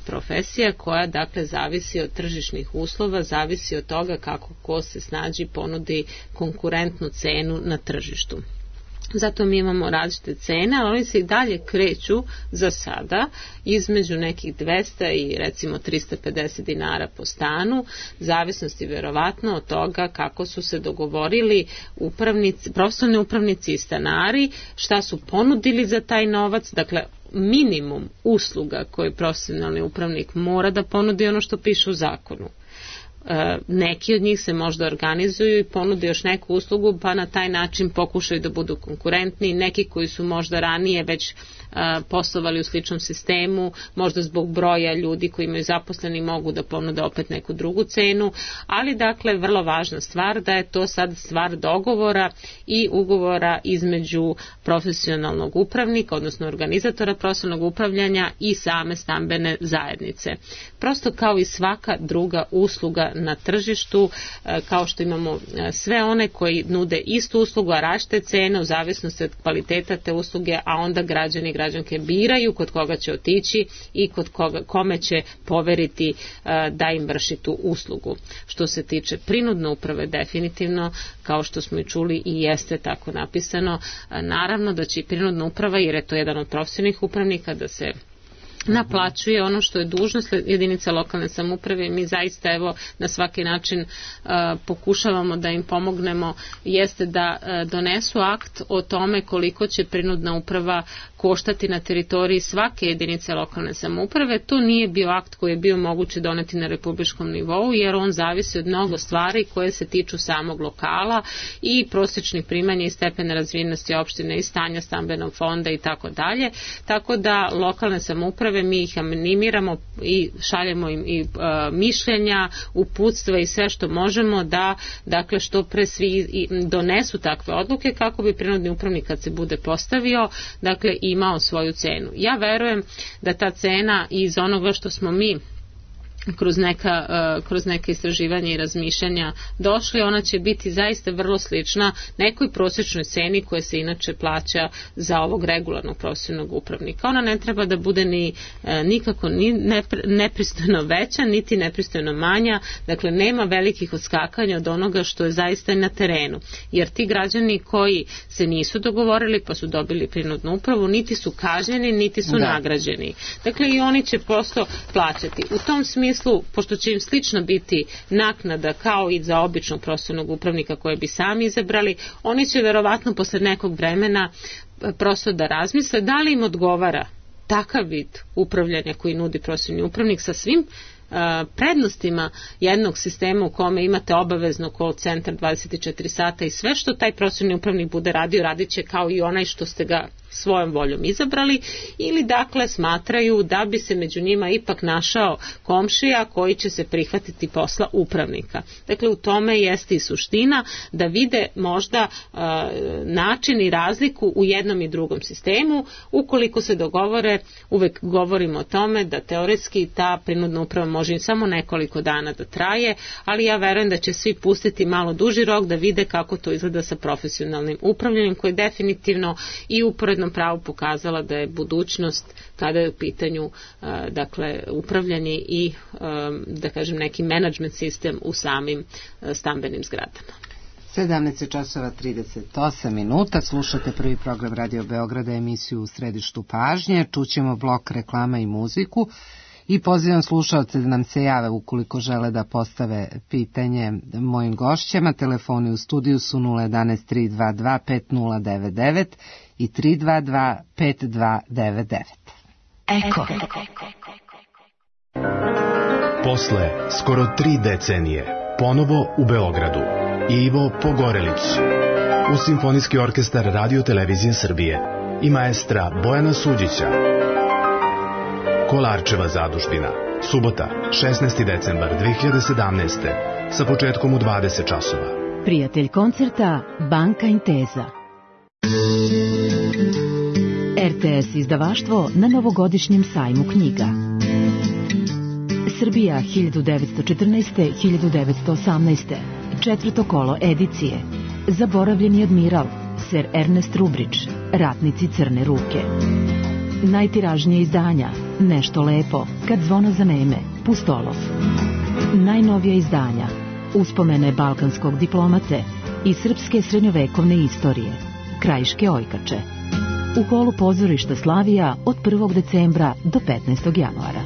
profesija koja dakle zavisi od tržišnih uslova, zavisi od toga kako ko se snađi ponudi konkurentnu cenu na tržištu. Zato mi imamo različite cene, ali oni se i dalje kreću za sada između nekih dvesta i recimo trista pedeset dinara po stanu, zavisnosti vjerovatno od toga kako su se dogovorili upravnici, profesionalni upravnici i stanari, šta su ponudili za taj novac, dakle minimum usluga koji profesionalni upravnik mora da ponudi ono što piše u zakonu. E, neki od njih se možda organizuju i ponude još neku uslugu pa na taj način pokušaju da budu konkurentni, neki koji su možda ranije već a, poslovali u sličnom sistemu, možda zbog broja ljudi koji imaju zaposleni mogu da ponude opet neku drugu cenu, ali dakle vrlo važna stvar da je to sad stvar dogovora i ugovora između profesionalnog upravnika, odnosno organizatora profesionalnog upravljanja i same stambene zajednice. Prosto kao i svaka druga usluga na tržištu, kao što imamo sve one koji nude istu uslugu, a različite cene u zavisnosti od kvaliteta te usluge, a onda građani i građanke biraju kod koga će otići i kod koga, kome će poveriti da im vrši tu uslugu. Što se tiče prinudne uprave, definitivno, kao što smo i čuli i jeste tako napisano, naravno da će i prinudna uprava, jer je to jedan od profesionalnih upravnika, da se naplaćuje ono što je dužnost jedinice lokalne samouprave i mi zaista evo na svaki način uh, pokušavamo da im pomognemo, jeste da uh, donesu akt o tome koliko će prinudna uprava koštati na teritoriji svake jedinice lokalne samouprave. To nije bio akt koji je bio moguće doneti na republičkom nivou, jer on zavisi od mnogo stvari koje se tiču samog lokala i prosječnih primanja i stepena razvijenosti opštine i stanja stambenog fonda i tako dalje. Tako da lokalne samouprave mi ih animiramo i šaljemo im i uh, mišljenja, uputstva i sve što možemo da dakle što pre svi donesu takve odluke kako bi prinudni upravnik kad se bude postavio dakle imao svoju cenu. Ja verujem da ta cena iz onoga što smo mi kroz neka, uh, kroz neke istraživanja i razmišljanja došli, ona će biti zaista vrlo slična nekoj prosječnoj ceni koja se inače plaća za ovog regularnog profesionalnog upravnika. Ona ne treba da bude ni uh, nikako ni nepr, nepristojno veća, niti nepristojno manja, dakle nema velikih odskakanja od onoga što je zaista na terenu. Jer ti građani koji se nisu dogovorili pa su dobili prinudnu upravu, niti su kažnjeni, niti su da. nagrađeni. Dakle i oni će prosto plaćati. U tom smislu smislu, pošto će im slično biti naknada kao i za običnog profesionalnog upravnika koje bi sami izabrali, oni će verovatno posle nekog vremena prosto da razmisle da li im odgovara takav vid upravljanja koji nudi profesionalni upravnik sa svim prednostima jednog sistema u kome imate obavezno call centar dvadeset četiri sata i sve što taj profesionalni upravnik bude radio, radit će kao i onaj što ste ga svojom voljom izabrali, ili dakle smatraju da bi se među njima ipak našao komšija koji će se prihvatiti posla upravnika. Dakle u tome jeste i suština da vide možda uh, način i razliku u jednom i drugom sistemu. Ukoliko se dogovore, uvek govorimo o tome da teoretski ta prinudna uprava može samo nekoliko dana da traje, ali ja verujem da će svi pustiti malo duži rok da vide kako to izgleda sa profesionalnim upravljanjem koje definitivno i u pravu pokazala da je budućnost kada je u pitanju uh, dakle upravljanje i um, da kažem neki menadžment sistem u samim uh, stambenim zgradama. sedamnaest časova trideset osam minuta, slušate prvi program Radio Beograda, emisiju U središtu pažnje, čućemo blok reklama i muziku i pozivam slušalce da nam se jave ukoliko žele da postave pitanje mojim gošćama. Telefoni u studiju su nula jedan tri dva dva pet nula devet devet i tri dva dva pet dva devet devet. Eko. Posle skoro tri decenije, ponovo u Beogradu, Ivo Pogorelić, uz Simfonijski orkestar Radio Televizije Srbije i maestra Bojana Suđića. Kolarčeva zadužbina, subota, šesnaesti decembar dve hiljade sedamnaeste. sa početkom u dvadeset časova. Prijatelj koncerta Banka Intesa. er te es izdavaštvo na novogodišnjem sajmu knjiga. Srbija hiljadu devetsto četrnaeste do hiljadu devetsto osamnaeste. Četvrto kolo edicije. Zaboravljeni admiral, ser Ernest Rubrić, Ratnici crne ruke. Najtiražnije izdanja, Nešto lepo, Kad zvona zaneme, Pustolov. Najnovija izdanja, Uspomene balkanskog diplomate i srpske srednjovekovne istorije, Krajiške ojkače. U holu pozorišta Slavija od prvog decembra do petnaestog januara.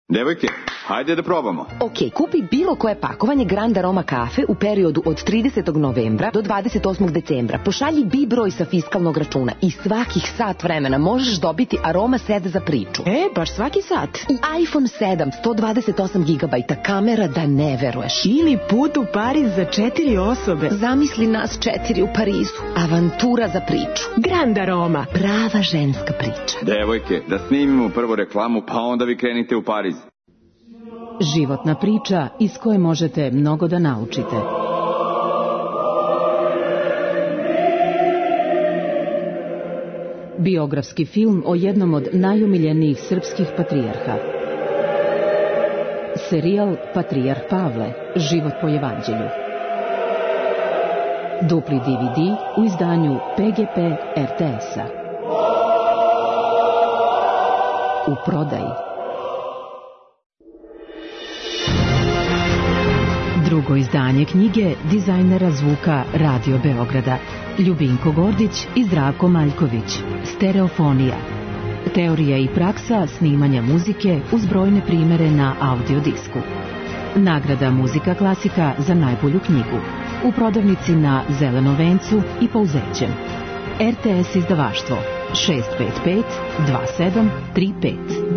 Devojke, hajde da probamo. Ok, kupi bilo koje pakovanje Grand Aroma kafe u periodu od tridesetog novembra do dvadeset osmog decembra. Pošalji B I broj sa fiskalnog računa i svakih sat vremena možeš dobiti Aroma set za priču. E, baš svaki sat. I iPhone sedam, sto dvadeset osam gigabajta, kamera da ne veruješ. Ili put u Pariz za četiri osobe. Zamisli nas četiri u Parizu. Avantura za priču. Grand Aroma. Prava ženska priča. Devojke, da snimimo prvo reklamu, pa onda vi krenite u Pariz. Životna priča iz koje možete mnogo da naučite. Biografski film o jednom od najumiljenijih srpskih patrijarha. Serijal Patrijarh Pavle, život po evanđelju. Dupli de ve de u izdanju pe ge pe er te es-a. U prodaji. Drugo izdanje knjige dizajnera zvuka Radio Beograda, Ljubinko Gordić i Zdravko Maljković, Stereofonija. Teorija i praksa snimanja muzike uz brojne primere na audiodisku. Nagrada Muzika klasika za najbolju knjigu. U prodavnici na Zelenom vencu i Pouzećem. er te es izdavaštvo šest pet pet dva sedam tri pet.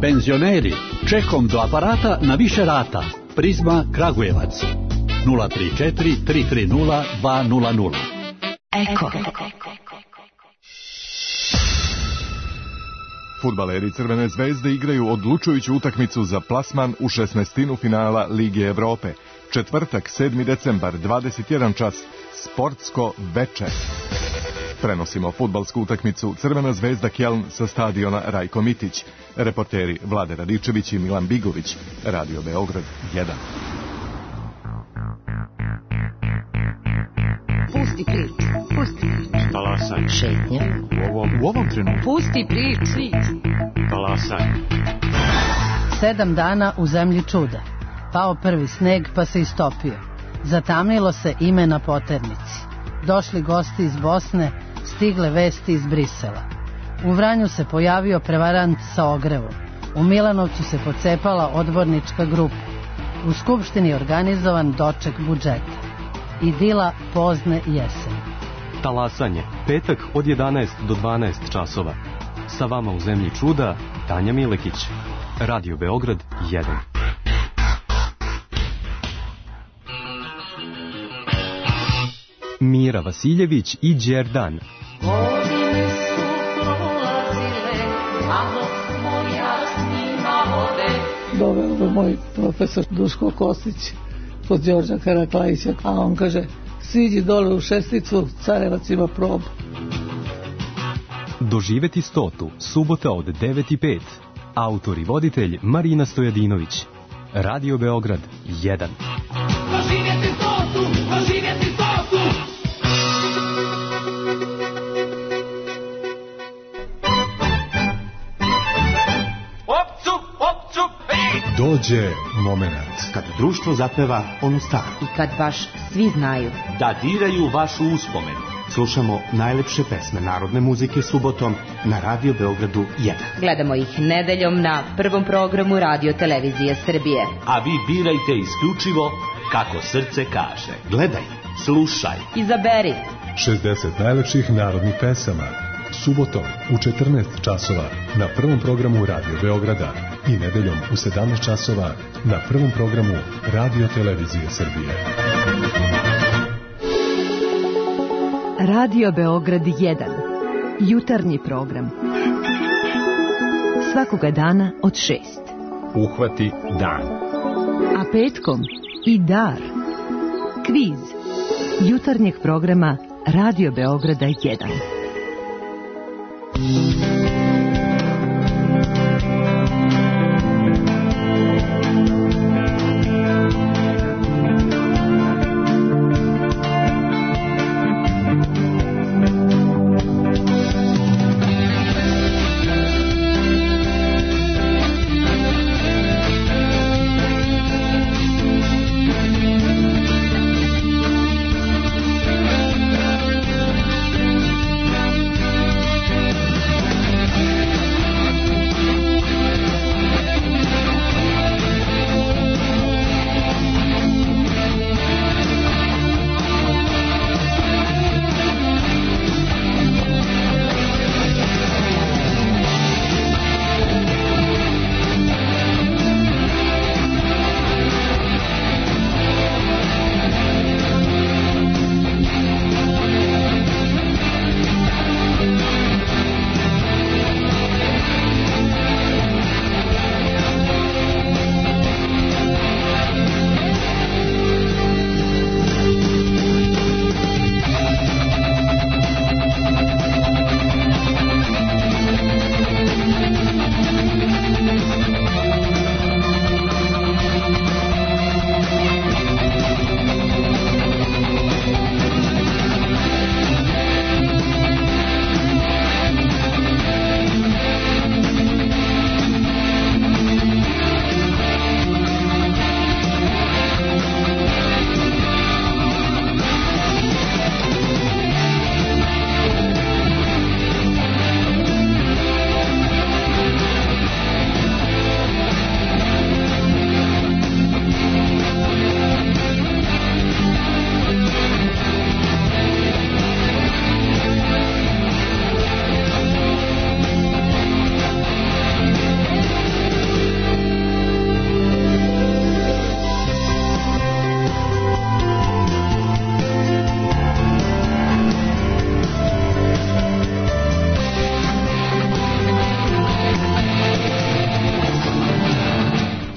Penzioneri, čekom do aparata na više rata. Prizma Kragujevac. nula tri četiri tri tri nula dva nula nula. Eko. Fudbaleri Crvene zvezde igraju odlučujuću utakmicu za plasman u šesnaestinu finala Lige Evrope. Četvrtak, sedmi decembar, dvadeset jedan čas, sportsko veče. Prenosimo fudbalsku utakmicu Crvena zvezda Kjeln sa stadiona Rajko Mitić. Reporteri Vlade Radičević i Milan Bigović. Radio Beograd jedan. Pusti priču, pusti priču. Talasaj. Šetnja. U ovom, u ovom trenutku. Pusti priču. Talasaj. Sedam dana u zemlji čuda. Pao prvi sneg pa se istopio. Zatamnilo se ime na poternici. Došli gosti iz Bosne, stigle vesti iz Brisela. U Vranju se pojavio prevarant sa ogrevom. U Milanovcu se pocepala odbornička grupa. U Skupštini organizovan doček budžeta. Idila pozne jeseni. Talasanje, petak od jedanaest do dvanaest časova. Sa vama u zemlji čuda, Tanja Milekić. Radio Beograd jedan. Mira Vasiljević i Đerdan. Godine su prolazile, a dok smo ja s njima vode. Doveo me moj profesor Duško Kostić kod Đorđa Karaklajića, a on kaže, siđi dole u Šesticu, Carevac ima probu. Doživeti stotu, subota od devet i pet. Autor i voditelj Marina Stojadinović. Radio Beograd jedan. Doživjeti stotu, doživjeti stotu. Dođe moment kad društvo zapeva onu staru. I kad baš svi znaju da diraju vašu uspomenu. Slušamo najlepše pesme narodne muzike subotom na Radio Beogradu jedan. Gledamo ih nedeljom na prvom programu Radio Televizije Srbije. A vi birajte isključivo kako srce kaže. Gledaj, slušaj, izaberi, šezdeset najlepših narodnih pesama. Subotom u četrnaest časova na prvom programu Radio Beograda i nedeljom u sedamnaest časova na prvom programu Radio Televizije Srbije. Radio Beograd jedan. Jutarnji program. Svakoga dana od šest. Uhvati dan. A petkom i dar. Kviz. Jutarnjeg programa Radio Beograda jedan.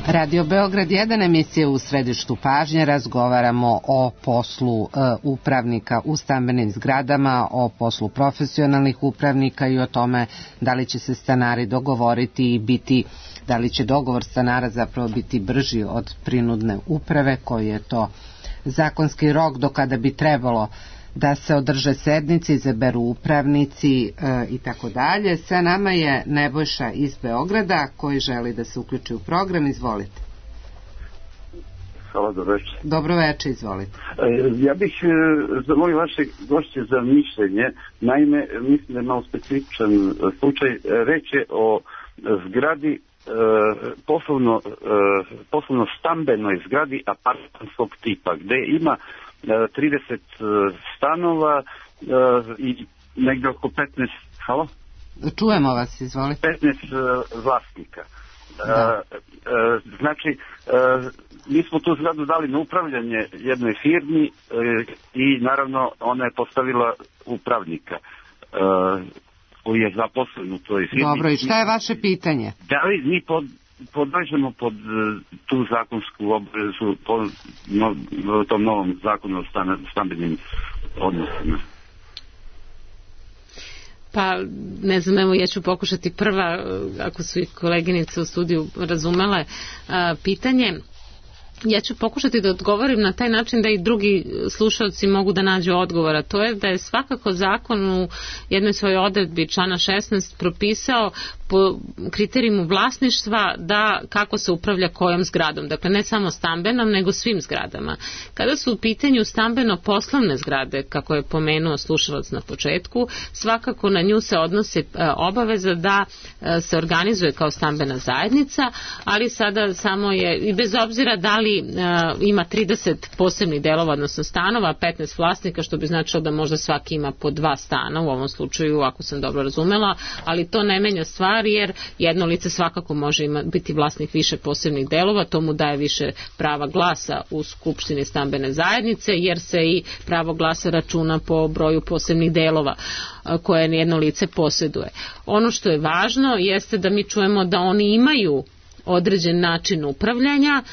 Radio Beograd jedan, emisija u središtu pažnje. Razgovaramo o poslu e, upravnika u stambenim zgradama, o poslu profesionalnih upravnika i o tome da li će se stanari dogovoriti i biti, da li će dogovor stanara zapravo biti brži od prinudne uprave, koji je to zakonski rok do kada bi trebalo da se održe sednice, izaberu upravnici e, i tako dalje. Sa nama je Nebojša iz Beograda koji želi da se uključi u program. Izvolite. Hvala, dobro večer. Dobro večer, izvolite. E, ja bih e, zamolio vaše gošće za mišljenje. Naime, mislim da je malo specifičan slučaj. Reč je o zgradi e, poslovno, e, poslovno stambenoj zgradi apartmanskog tipa, gde ima trideset stanova i negdje oko petnaest, halo? Čujemo vas, izvolite. petnaest vlasnika. Da. Znači, mi smo tu zgradu dali na upravljanje jednoj firmi i naravno ona je postavila upravnika koji je zaposlen u toj firmi. Dobro, i šta je vaše pitanje? Da li mi pod podležemo pod tu zakonsku obvezu po no, tom novom zakonu o stambenim odnosima? Pa, ne znam, evo ja ću pokušati prva, ako su i koleginice u studiju razumele a, pitanje. Ja ću pokušati da odgovorim na taj način da i drugi slušalci mogu da nađu odgovora. To je da je svakako zakon u jednoj svojoj odredbi člana šesnaest propisao po kriterijumu vlasništva da kako se upravlja kojom zgradom. Dakle, ne samo stambenom, nego svim zgradama. Kada su u pitanju stambeno-poslovne zgrade, kako je pomenuo slušalac na početku, svakako na nju se odnose obaveza da se organizuje kao stambena zajednica, ali sada samo je, i bez obzira da li ali uh, ima trideset posebnih delova, odnosno stanova, petnaest vlasnika, što bi značilo da možda svaki ima po dva stana u ovom slučaju, ako sam dobro razumela, ali to ne menja stvar jer jedno lice svakako može ima, biti vlasnik više posebnih delova, to mu daje više prava glasa u Skupštini stambene zajednice, jer se i pravo glasa računa po broju posebnih delova koje jedno lice posjeduje. Ono što je važno jeste da mi čujemo da oni imaju određen način upravljanja.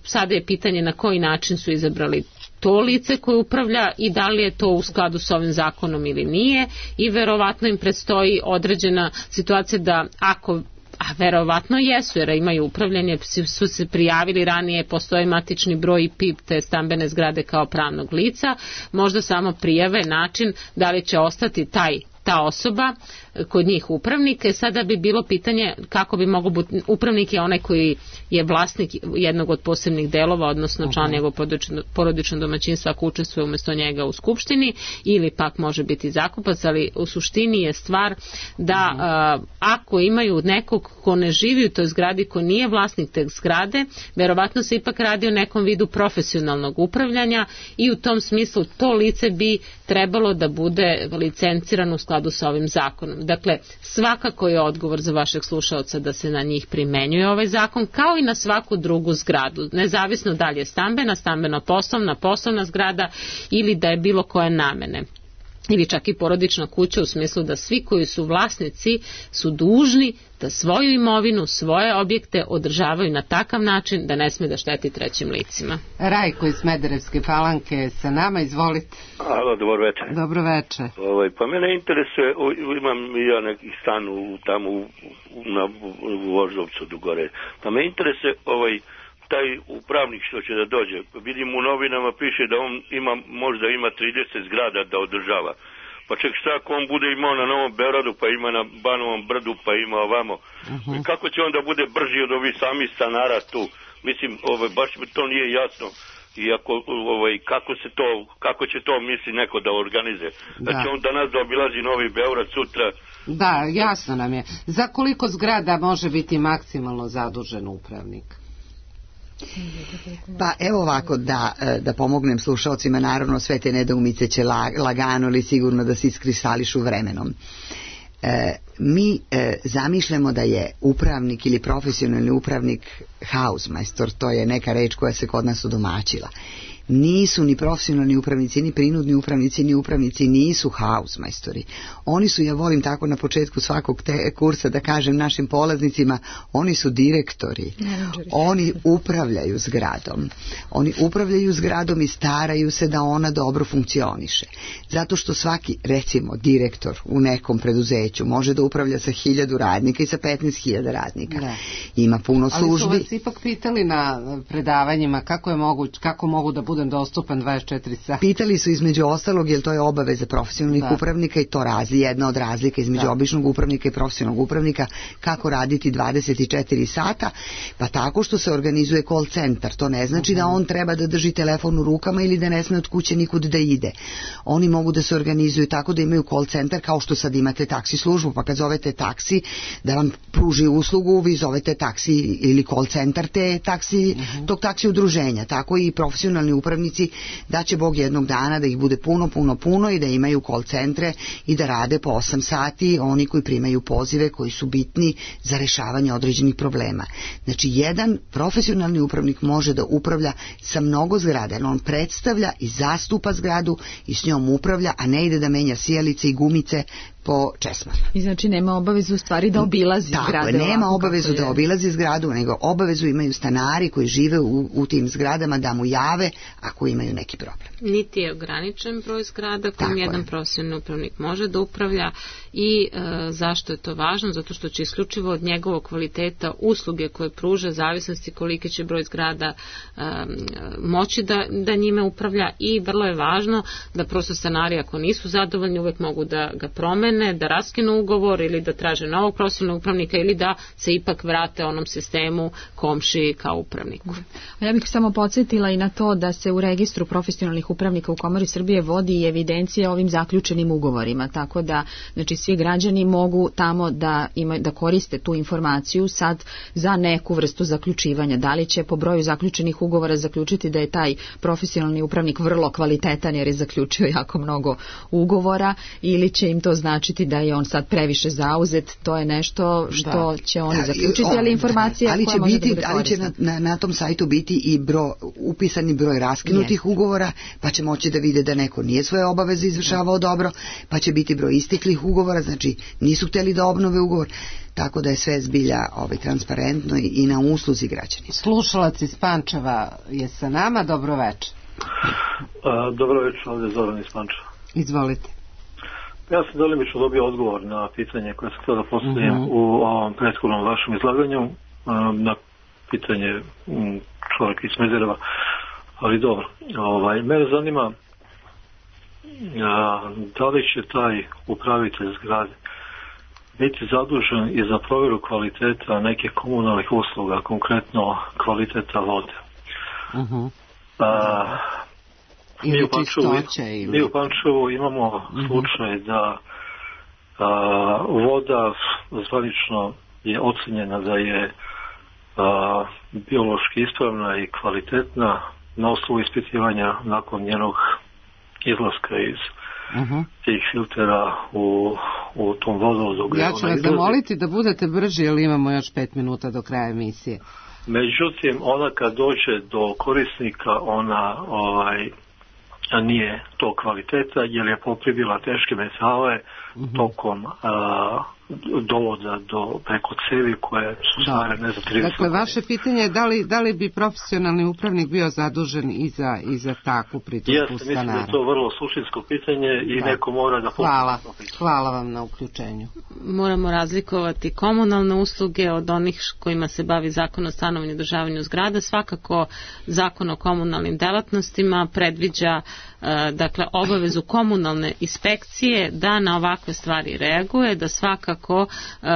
Sada je pitanje na koji način su izabrali to lice koje upravlja i da li je to u skladu s ovim zakonom ili nije, i verovatno im predstoji određena situacija da ako, a verovatno jesu jer imaju upravljanje, su se prijavili ranije, postoji matični broj i P I P te stambene zgrade kao pravnog lica, možda samo prijave način da li će ostati taj ta osoba kod njih upravnike. Sada bi bilo pitanje kako bi mogo biti, upravnik je onaj koji je vlasnik jednog od posebnih delova, odnosno član njegovog porodičnog domaćinstva ako učestvuje umjesto njega u skupštini, ili pak može biti zakupac, ali u suštini je stvar da uh, ako imaju nekog ko ne živi u toj zgradi, ko nije vlasnik te zgrade, verovatno se ipak radi o nekom vidu profesionalnog upravljanja i u tom smislu to lice bi trebalo da bude licencirano u skladu sa ovim zakonom. Dakle, svakako je odgovor za vašeg slušaoca da se na njih primenjuje ovaj zakon, kao i na svaku drugu zgradu, nezavisno da li je stambena, stambeno-poslovna, poslovna zgrada ili da je bilo koje namene. Ili čak i porodična kuća, u smislu da svi koji su vlasnici su dužni da svoju imovinu, svoje objekte održavaju na takav način da ne sme da šteti trećim licima. Rajko iz Smederevske Palanke sa nama, izvolite. Alo, dobro večer. Dobro večer. Ovaj, pa mene interesuje, o, imam i ja neki stan u, tamo u, na Voždovcu do gore, pa me interesuje ovaj, taj upravnik što će da dođe. Vidim u novinama piše da on ima, možda ima trideset zgrada da održava. Pa ček šta ako on bude imao na Novom Beogradu, pa ima na Banovom Brdu, pa ima ovamo. Uh-huh. Kako će onda bude brži od ovih samih stanara tu? Mislim, ovaj, baš mi to nije jasno. I ako, ovaj, kako, se to, kako će to misli neko da organizuje? Da će on danas da obilazi Novi Beograd sutra. Da, jasno nam je. Za koliko zgrada može biti maksimalno zadužen upravnik? Pa evo ovako, da, da pomognem slušalcima, naravno sve te nedoumice će lagano ili sigurno da se iskristališu vremenom. E, mi e, zamišljamo da je upravnik ili profesionalni upravnik hausmajstor, to je neka reč koja se kod nas udomaćila. Nisu ni profesionalni upravnici, ni prinudni upravnici, ni upravnici nisu hausmajstori. Oni su, ja volim tako na početku svakog te kursa da kažem našim polaznicima, oni su direktori. Menadžeri. Oni upravljaju zgradom. Oni upravljaju zgradom i staraju se da ona dobro funkcioniše. Zato što svaki, recimo, direktor u nekom preduzeću može da upravlja sa hiljadu radnika i sa petnaest hiljada radnika. Da. Ima puno službi. Ali su vas ipak pitali na predavanjima kako je moguć, kako mogu da budem dostupan dvadeset četiri sata. Pitali su između ostalog, jer to je obaveza profesionalnih da. upravnika i to razli, jedna od razlika između da. običnog upravnika i profesionalnog upravnika, kako raditi dvadeset četiri sata, pa tako što se organizuje call centar. To ne znači uh-huh. da on treba da drži telefon u rukama ili da ne sme od kuće nikud da ide. Oni mogu da se organizuju tako da imaju call centar, kao što sad imate taksi službu, pa kad zovete taksi da vam pruži uslugu, vi zovete taksi ili call centar te taksi, uh-huh. tog taksi udruženja. Tako i profesionalni upravnici da će Bog jednog dana da ih bude puno, puno, puno i da imaju call centre i da rade po osam sati, oni koji primaju pozive koji su bitni za rešavanje određenih problema. Znači, jedan profesionalni upravnik može da upravlja sa mnogo zgrada, on predstavlja i zastupa zgradu i s njom upravlja, a ne ide da menja sijalice i gumice po česmama. I znači nema obavezu u stvari da obilazi Tako zgrade. Tako je, nema obavezu da obilazi zgradu, nego obavezu imaju stanari koji žive u, u tim zgradama da mu jave ako imaju neki problem. Niti je ograničen broj zgrada kojim jedan je. profesionalni upravnik može da upravlja i e, zašto je to važno? Zato što će isključivo od njegovog kvaliteta usluge koje pruža, zavisnosti koliki će broj zgrada e, moći da, da njime upravlja, i vrlo je važno da prosto stanari ako nisu zadovoljni uvek mogu da ga promene promene, da raskinu ugovor ili da traže novog profesionalnog upravnika ili da se ipak vrate onom sistemu komšiji kao upravniku. Ja bih samo podsjetila i na to da se u registru profesionalnih upravnika u Komori Srbije vodi i evidencija ovim zaključenim ugovorima, tako da znači svi građani mogu tamo da ima, da koriste tu informaciju sad za neku vrstu zaključivanja. Da li će po broju zaključenih ugovora zaključiti da je taj profesionalni upravnik vrlo kvalitetan jer je zaključio jako mnogo ugovora, ili će im to značiti da je on sad previše zauzet, to je nešto što da. će oni da, zaključiti, ali informacija ali koja će može biti, da bude ali će na, na, na tom sajtu biti i bro, upisani broj raskinutih yes. ugovora, pa će moći da vide da neko nije svoje obaveze izvršavao dobro, pa će biti broj isteklih ugovora, znači nisu hteli da obnove ugovor, tako da je sve zbilja ovaj, transparentno i, i na usluzi građani. Slušalac iz Pančeva je sa nama, dobro večer. Dobro večer, ovdje je Zoran iz Pančeva. Izvolite. Ja sam delimično dobio odgovor na pitanje koje sam htio da postavim uh-huh. u ovom prethodnom vašem izlaganju, na pitanje čovjeka iz Smedereva, ali dobro. Ovaj, mene zanima da li će taj upravitelj zgrade biti zadužen i za provjeru kvaliteta nekih komunalnih usluga, konkretno kvaliteta vode. Uh-huh. A, mi, u Pančevu, ili... mi u Pančevu imamo uh-huh. slučaj da a, voda zvanično je ocenjena da je a, biološki ispravna i kvalitetna na osnovu ispitivanja nakon njenog izlaska iz uh-huh. tih filtera u, u tom vodovodu. Ja ću vas zamoliti da budete brži jer imamo još pet minuta do kraja emisije. Međutim, ona kad dođe do korisnika, ona ovaj, nije to kvaliteta jer je poprimila teške metale uh-huh. tokom a, dovoda do preko cevi koje su stare ne za trideset. Dakle, vaše pitanje je da li, da li bi profesionalni upravnik bio zadužen i za, i za takvu pritužbu stanara? Ja mislim da je to vrlo suštinsko pitanje i da. neko mora da... Hvala, hvala vam na uključenju. Moramo razlikovati komunalne usluge od onih kojima se bavi Zakon o stanovanju i održavanju zgrada. Svakako Zakon o komunalnim delatnostima predviđa dakle obavezu komunalne inspekcije da na ovakve stvari reaguje, da svakako uh,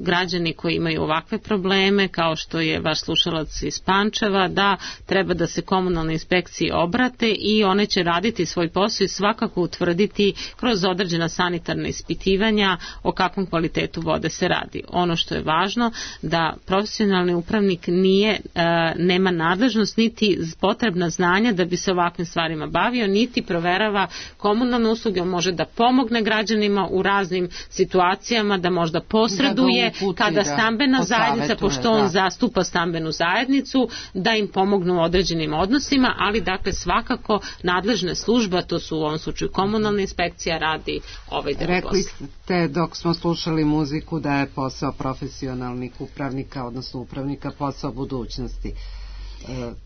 građani koji imaju ovakve probleme, kao što je vaš slušalac iz Pančeva, da treba da se komunalne inspekcije obrate i one će raditi svoj posao i svakako utvrditi kroz određena sanitarna ispitivanja o kakvom kvalitetu vode se radi. Ono što je važno da profesionalni upravnik nije, uh, nema nadležnost niti potrebna znanja da bi se ovakvim stvarima bavio, niti proverava komunalne usluge. On može da pomogne građanima u raznim situacijama, da možda posreduje da uputi, kada stambena zajednica, pošto on da. zastupa stambenu zajednicu, da im pomognu u određenim odnosima, ali dakle svakako nadležna služba, to su u ovom slučaju komunalna inspekcija, radi ovaj deo posla. Rekli ste dok smo slušali muziku da je posao profesionalnih upravnika, odnosno upravnika, posao budućnosti.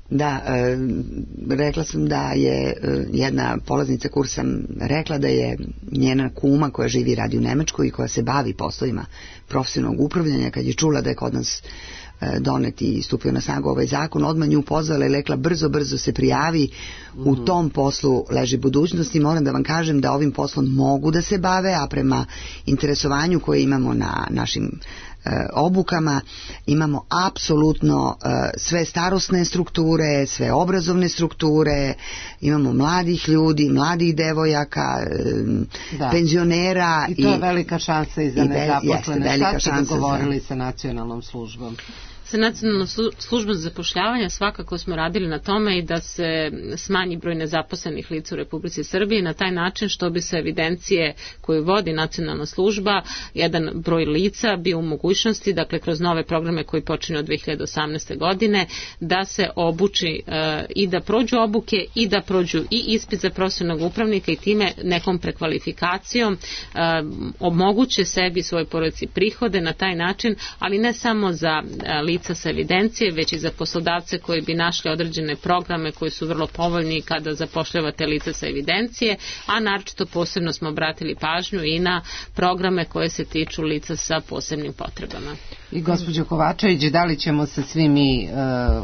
Da, e, rekla sam da je e, jedna polaznica kursa rekla da je njena kuma koja živi i radi u Nemačkoj i koja se bavi poslovima profesionalnog upravljanja, kad je čula da je kod nas e, donet i stupio na snagu ovaj zakon, odmah nju pozvala i rekla brzo, brzo se prijavi, mm-hmm. u tom poslu leži budućnost i moram da vam kažem da ovim poslom mogu da se bave, a prema interesovanju koje imamo na našim obukama imamo apsolutno sve starosne strukture, sve obrazovne strukture, imamo mladih ljudi, mladih devojaka, da. penzionera. I to je i, velika šansa i za nezaposlene. Šta ste dogovorili za... sa nacionalnom službom? Sa nacionalnom službom za zapošljavanje svakako smo radili na tome i da se smanji broj nezaposlenih lica u Republici Srbiji na taj način što bi se evidencije koju vodi nacionalna služba, jedan broj lica bio u mogućnosti, dakle kroz nove programe koji počinju od dve hiljade osamnaeste. godine, da se obuči e, i da prođu obuke i da prođu i ispit za profesionalnog upravnika i time nekom prekvalifikacijom e, omoguće sebi svoje porodici prihode na taj način, ali ne samo za e, lica sa evidencije, već i za poslodavce koji bi našli određene programe koji su vrlo povoljni kada zapošljavate lica sa evidencije, a naročito posebno smo obratili pažnju i na programe koje se tiču lica sa posebnim potrebama. I gospođo Kovačević, da li ćemo se svi mi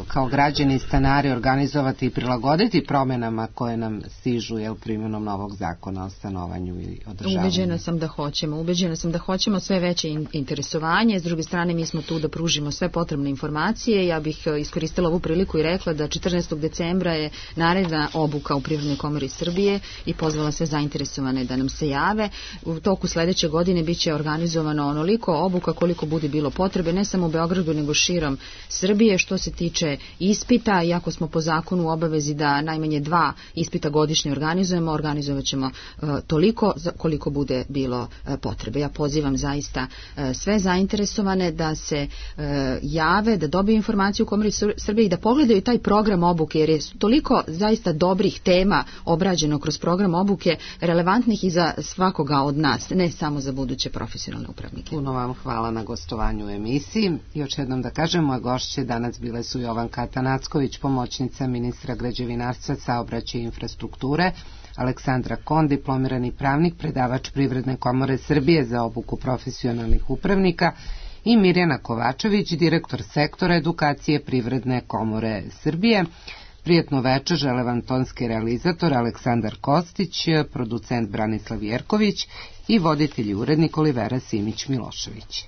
kao građani i stanari organizovati i prilagoditi promjenama koje nam stižu jel, primjenom novog zakona o stanovanju i održavanju? Ubeđena sam da hoćemo. Ubeđena sam da hoćemo sve veće interesovanje. S druge strane, mi smo tu da pružimo sve potrebne informacije. Ja bih iskoristila ovu priliku i rekla da četrnaestog decembra je naredna obuka u Privrednoj komori Srbije i pozvala sve zainteresovane da nam se jave. U toku sledeće godine bit će organizovano onoliko obuka koliko bude bilo potrebe, ne samo u Beogradu nego širom Srbije. Što se tiče ispita, iako smo po zakonu u obavezi da najmanje dva ispita godišnje organizujemo, organizovat ćemo uh, toliko koliko bude bilo uh, potrebe. Ja pozivam zaista uh, sve zainteresovane da se uh, jave, da dobiju informaciju u Komori Srbije i da pogledaju taj program obuke, jer je toliko zaista dobrih tema obrađeno kroz program obuke, relevantnih i za svakoga od nas, ne samo za buduće profesionalne upravnike. Puno vam hvala na gostovanju u emisiji. Još jednom da kažem, moje gošće danas bile su Jovanka Atanacković, pomoćnica ministra građevinarstva, saobraćaja i infrastrukture, Aleksandra Kon, diplomirani pravnik, predavač Privredne komore Srbije za obuku profesionalnih upravnika, i Mirjana Kovačević, direktor sektora edukacije Privredne komore Srbije. Prijetno večer žele vam tonski realizator Aleksandar Kostić, producent Branislav Jerković i voditelj i urednik Olivera Simić Milošević.